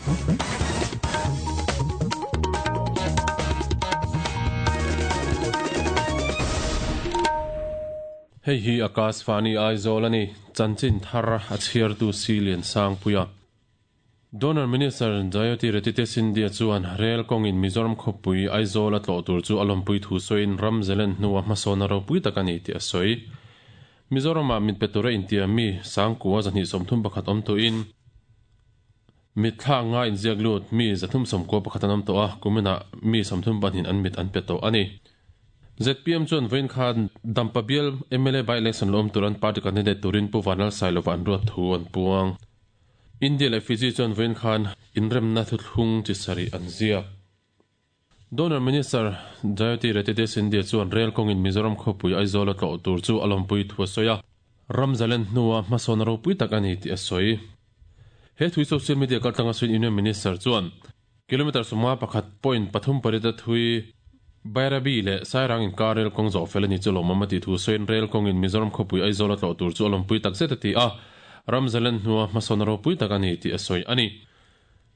Hei hi Akashvani Aizawl a ni, chanchin thar a chhiartu Si Liansangpuia. Donor Minister Jyotiraditya Scindia chuan rel kawngin Mizoram khawpui Aizawl a tlawh tur chu a lawmpui thu sawiin ram zelen hnua hmasawn a ropui tak a ni tih a sawi. Mizoramah mit pe tura intiam mi Sangkua 231 awm tawhin mitthla nga inziak lut mi 391 an awm tawh a, kuminah mi 32 an mit an pe tawh a ni. ZPM chuan vawiin khan Dampa bial mla by-election la awm tur an party candidate turin Pu Vanlalsailova an ruat thu an puang. India leh Fiji chuan vawiin khan inremna thuthlung chi sarih an ziak. Donor Minister Jyotiraditya Scindia chuan rel kawngin Mizoram khawpui Aizawl a tlawh tur chu a lawmpui thu a sawi a, ram zalen hnua hmasawn ropui tak a ni tih a sawi. He thui social media kaltlanga sawiin Union Minister chuan kilometre 51.38 a thui Bairabi leh Sairang inkar rel kawng zawh fel a ni chu lawmawm a tih thu sawiin rel kawngin Mizoram khawpui Aizawl a tlawh tur chu a lawmpui tak zet a ti a, ram zalen hnua hmasawn ropui tak a ni tih a sawi a ni.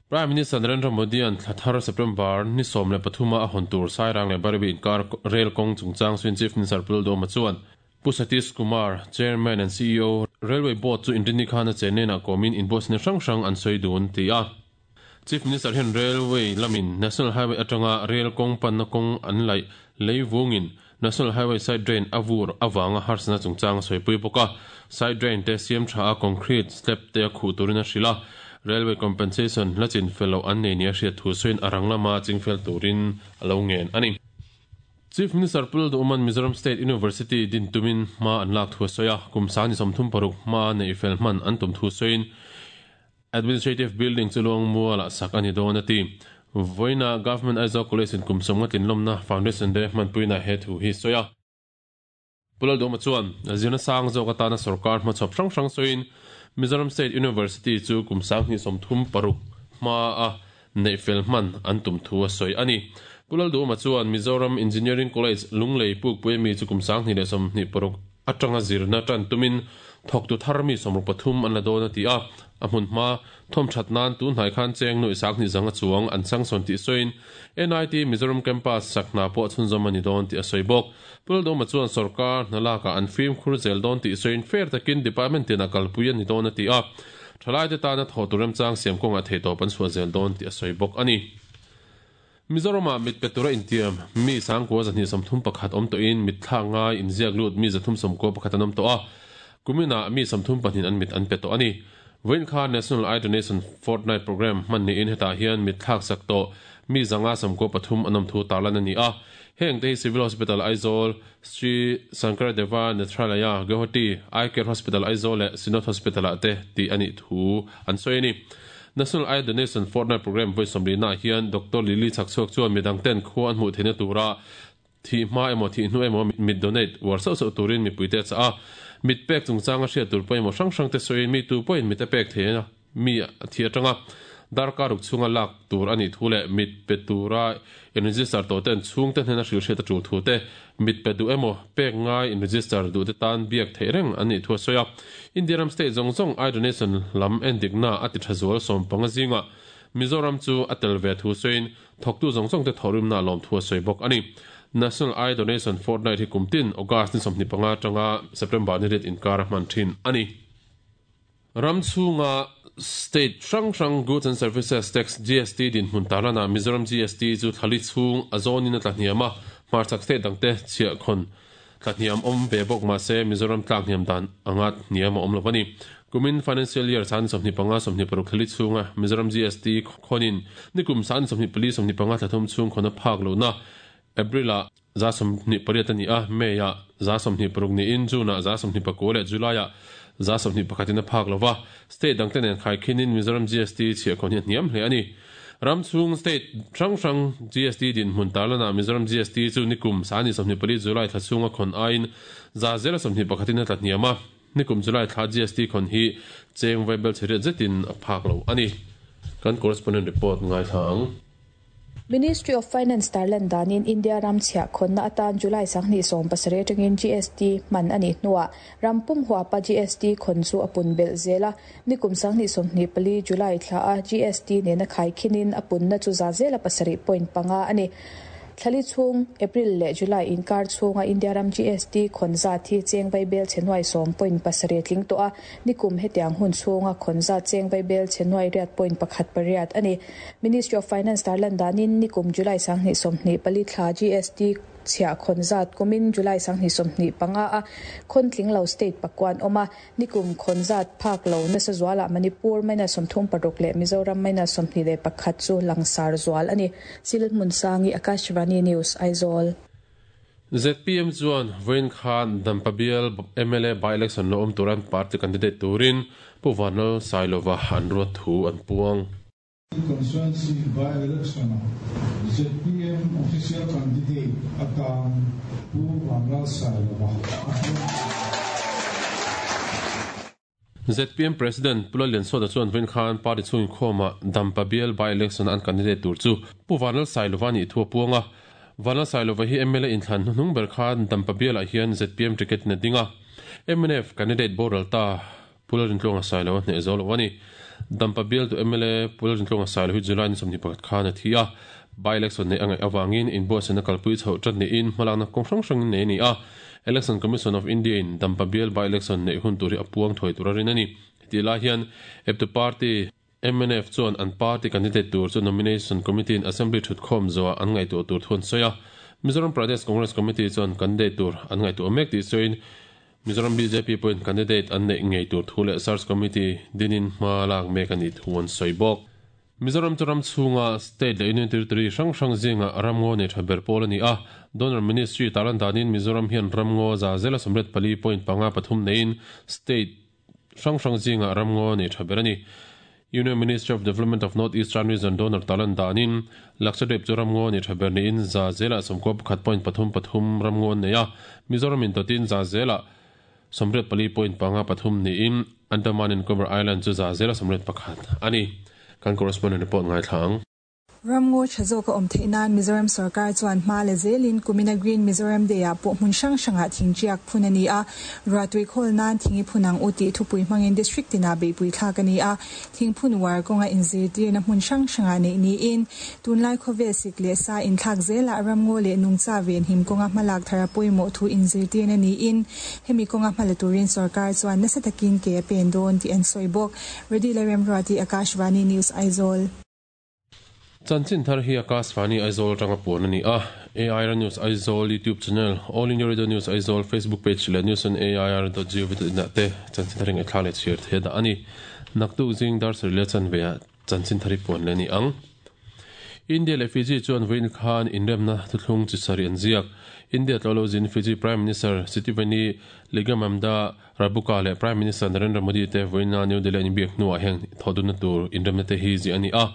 Prime Minister Narendra Modi-a'n thla thar September ni 13 a hawn tur Sairang leh Bairabi inkar rel kawng chungchang sawiin Chief Minister Pu Lalduhoma chuan Pu Satish Kumar, Chairman and CEO, Railway Board chu Inrinni khan a chenena kawmin inbuatsaihna hrang hrang an sawi dun ti a. Chief Minister hian Railway lamin National Highway atanga rel kawng panna kawng an laih lei vungin National Highway side drain a vur avanga harsatna chungchang a sawipui bawk a. Side drain te siam tha a concrete slab te a khuh turin a hrilh a. Railway compensation la chin fel loh an nei nia hriat thu sawiin a rang lama chingfel turin a lo ngen a ni. Chief Minister Pu Lalduhman Mizoram State University din tumin hma an lak thu a sawi a, kum sang ni 36 hma neih fel hman an tum thu sawiin Administrative Building chu Luangmualah sak a ni dawn a ti. Vawiina Government Aizawl College in kum 50 tlinlawmna Foundation Day hmanpuina he thu hi sawi a. Pu Lalduhma chuan zirna sang zawk atana sorkar hmachhawp hrang hrang sawiin Mizoram State University chu kum 2036 hma a neih fel hman an tum thu a sawi a ni. Pu Lalduhma chuan Mizoram Engineering College Lunglei Pukpui ami chu kum 2026 atanga zirna tan tumin thawktu thar mi 63 an la dawn a ti a. A hmun hma thawm that nan tun hnai khan cheng nuih 2000 zanga chuang an changsawn tih sawiin NIT Mizoram Campus sak hna pawh chhunzawm a ni dawn tih a sawi bawk. Pu Lalduhma chuan sorkar hna lakah an fimkhur zel dawn tih sawiin fair takin department tinah kalpui a ni dawn a ti a. Thalaite tana thawh tur remchang siam kawngah theihtawp an chhuah zel dawn tih a sawi bawk a ni. Mizoramah mit pe tura intiam mi 9,231 awm tawhin mit thlak ngai inziak lut mi 391 an awm tawh a, kuminah mi 32 an mit an pe tawh a ni. Vawiin khan National Eye Donation Fortnight Programme hman niin hetah hian mit thlak sak tawh mi 593 an awm thu tarlan a ni a. Heng te hi Civil Hospital Aizawl, Sri Sankaradeva Nethralaya, Guwahati, Eye Care Hospital Aizawl leh Synod Hospital-ah te tih a nih thu an sawi a ni. National Eye Donation Fortnight Programme vawi 40 naah hian Doctor Lily Chhakchhuak chuan midang ten khua an hmuh theihna tura thih hma emaw thih hnu emaw mit donate uar sauh sauh turin mipuite a chah a. Mit pek chungchanga hriat tur pawimawh hrang hrang te sawiin mi tu pawhin mit a pek thei a mi a thi atanga darkar ruk chhunga lak tur a nih thu leh mit pe tura in register tawh ten chhungte hnena hrilh hriat a tul thu te mit pe duh emaw pek ngai in register duh te tan biak theih reng an nih thu a sawi a. India ram state zawng zawng eye donation lam endikna a ti tha zual 15 zingah Mizoram chu a tel ve thu sawiin thawktu zawng zawng te thawhrimna a lawm thu a sawi bawk a ni. National Eye Donation Fortnight hi kum tin August ni 25 atanga September ni riat inkar a hman thin a ni. Ram chhunga state hrang hrang Goods and Services Tax, GST, dinhmun tarlanah Mizoram GST chu thlali chhung a zawnin a tlahniam a, hmarchhak state dangte chhiahkhawn tlahniam awm ve bawk mahse Mizoram tlakhniam dan anga hniam a awm lo a ni. Kumin Financial Year 2025 26 thlali chhunga Mizoram GST khawnin nikum 2024 25 thlathum chhung khawn a phak lohna April-ah 28% a ni a, May-ah 26% niin June-ah 29% leh July-ah 21% in a phak lo va. State dangte nen khaikhinin Mizoram GST chhiahkhawn hi a hniam hle a ni. Ram chhung state hrang hrang GST dinhmun tarlanah Mizoram GST chu nikum 24 July thla chhunga khawn aiin 0.21 in a tla hniam a. Nikum July thla GST khawn hi cheng vaibel chhe riat zetin a phak lo a ni. Kan correspondent report ngaithla ang. Ministry of Finance tarlan danin India ram chhiah khawnna atan July 2017 atangin GST hman a nih hnuah ram pum huapa GST khawn chu a pun belh zel a. Nikum 2024 July thla a GST nena khaikhinin a punna chu za zela pasarih point panga a ni. Thlali chhung, April leh July inkar chhunga India ram GST khawn zat hi cheng vaibel chhe nuai sawm point pasarih tling tawh a, nikum hetiang hun chhunga khawn zat cheng vaibel chhe nuai riat point pakhat pariat a ni. Ministry of Finance tarlan danin nikum July 2024 thla GST chhiah khawn zat kumin July 2025 a khawn tling lo state pakuan awm a, Nikum khawn zat phak lo nasa zualah Manipur minus 36 leh Mizoram minus 21 chu langsar zual a ni. Sil Hmunsangi, Akashvani News, Aizawl. Zpm chuan vawiin khan Dampa bial mla by-election lo awm turan party candidate turin Pu Vanlal Sailova an ruat thu an puang. Constituency by-election-ah zpm official candidate atan Pu Vanlal Sailova a puang ta. Zpm President Pu Lalliansawta chuan vawiin khan party chhung inkhawmah Dampa bial by-election-a an candidate tur chu Pu Vanlal Sailova a nih thu a puang a. Vanlal Sailova hi mla inthlan hnuhnung ber khan Dampa bialah hian zpm ticket in a ding a. Mnf candidate boral ta Pu Lalrintluanga Sailo a hneh zo lo a ni. Dampa bialtu mla Pu Lalrintluanga Sailo hi July ni 21 khan a thi a. By-election neih a ngaih avangin inbuatsaihna kalpui chhoh ṭat niin hmalakna kawng hrang hrangin nei a ni a. Election Commission of India in Dampa bial by-election neih hun tur hi a puang thuai tur a rin a ni. Hetih lai hian eptu party mnf chuan an party candidate tur chu Nomination Committee in Assembly ṭhutkhawm zawhah an ngaihtuah tur thu an sawi a. Mizoram Pradesh Congress Committee chuan candidate tur an ngaihtuah mek tih sawiin Mizoram bjp pawhin candidate an neih ngei tur thu leh Search Committee dinin hma lak mek a nih thu an sawi bawk. Mizoram chu ram chhunga state leh union territory hrang hrang zinga ramngaw nei tha ber pawl a ni a. Donor Ministry tarlan danin Mizoram hian ramngaw za zela 84.53 neiin state hrang hrang zinga ramngaw nei tha ber a ni. Union Ministry of Development of North Eastern Region donor tarlan danin Lakshadweep chu ramngaw nei tha ber niin za zela 91.33 ramngaw an nei a. Mizoram in dawtin za zela 84.53 niin Andaman and Nicobar Island chu za zela 81 a ni. Kan correspondent report ngaithla ang. Ramngaw tha zawk a awm theih nan Mizoram sorkar chuan hma la zelin kumina Green Mizoram Day-ah pawh hmun hrang hrangah thingṭiak phun a ni a, ruahtui khawl nan thing i phun ang u tih thupui hmangin district tinah beihpui thlak a ni a, thingphun uar kawnga inzirtirna hmun hrang hrangah neih niin tunlai khawvel sik leh sa inthlak zelah ramngaw leh nungcha venhim kawnga hmalak thar a pawimawh thu inzirtirna niin hemi kawnga hmala turin sorkar chuan nasa takin ke a pen dawn tih an sawi bawk. Reddy Lalremruati, Akashvani News, Aizawl. Chanchin thar hi Akashvani Aizawl atanga puan a ni a. AIR News Aizawl YouTube channel, All India Radio News Aizawl Facebook page leh news on air dot gov dot in ah te chanchin thar hi ngaihthla leh chhiar thei a dah a ni. Naktuk zing dar sarih leh chanve ah chanchin thar hi puan leh a ni ang. India leh Fiji chuan vawiin khan inremna thuthlung chi sarih an ziak. India tlawh lo zin Fiji Prime Minister Sitiveni Ligamamda Rabuka leh Prime Minister Narendra Modi te vawiina New Delhi an inbiak hnuah heng thawhdunna tur inremna te hi ziah a ni a.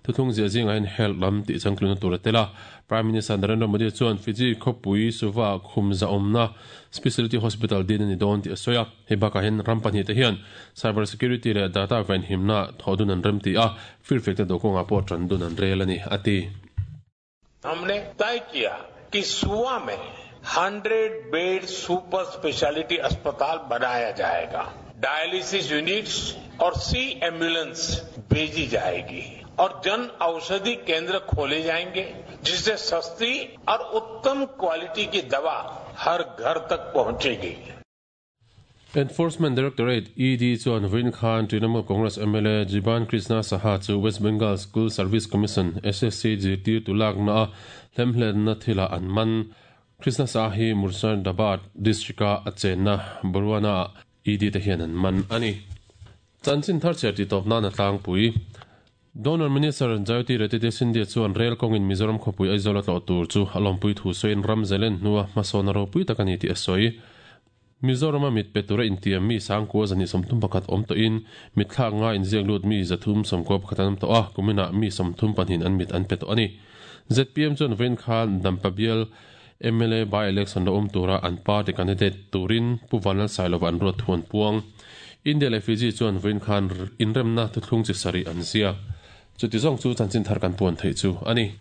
Thuthlung ziah zingah hian health lam tih changtlunna tur a tel a. Prime Minister Narendra Modi chuan Fiji khawpui Suva khum zahawmna Speciality Hospital din a ni dawn tih a sawi a. Hei bakah hian ram pahnih te hian cyber security leh data venhimna thawhdun an remti a, firfekna dawhkawngah pawh tan dun an rel a ni, a ti. Humne तय किया कि सुवा में 100 bed super speciality अस्पताल बनाया जाएगा dialysis units और सी एम्बुलेंस भेजी जाएगी और जन औषधि केंद्र खोले जाएंगे जिससे सस्ती और उत्तम क्वालिटी की दवा हर घर तक पहुंचेगी Enforcement Directorate, ED, chuan vawiin khan Trinamool Congress mla Jiban Krishna Saha chu West Bengal School Service Commission, SSC, zirtirtu lakna a hlemhlenna thilah an man. Krishna Saha hi Murshidabad district-a a chenna Barwana-ah ED te hian an man a ni. Chanchin thar chhiar tih tawp nan a tlangpui. Donor Minister Jayoti Retete Scindia chuan rel kawngin Mizoram khawpui Aizawl a tlawh tur chu a lawmpui thu sawiin ram zalen hnua hmasawn a ropui tak a ni tih a sawi. Mizorama mit pe tura intiam mi sangkua zahnih 31 awm tawhin mitthlak nga inziak lut mi 391 an awm tawh a, kuminah mi 32 an mit an pe tawh a ni. Zpm chuan vawiin khan Dampa bial mla by-election la awm tura an party candidate turin Pu Vanlal Sailova an ruat thu an puang. India leh Fiji chuan vawiin khan inremna thuthlung chi sarih an ziak. Chuti zawng chu chanchin thar kan puan theih chu a ni.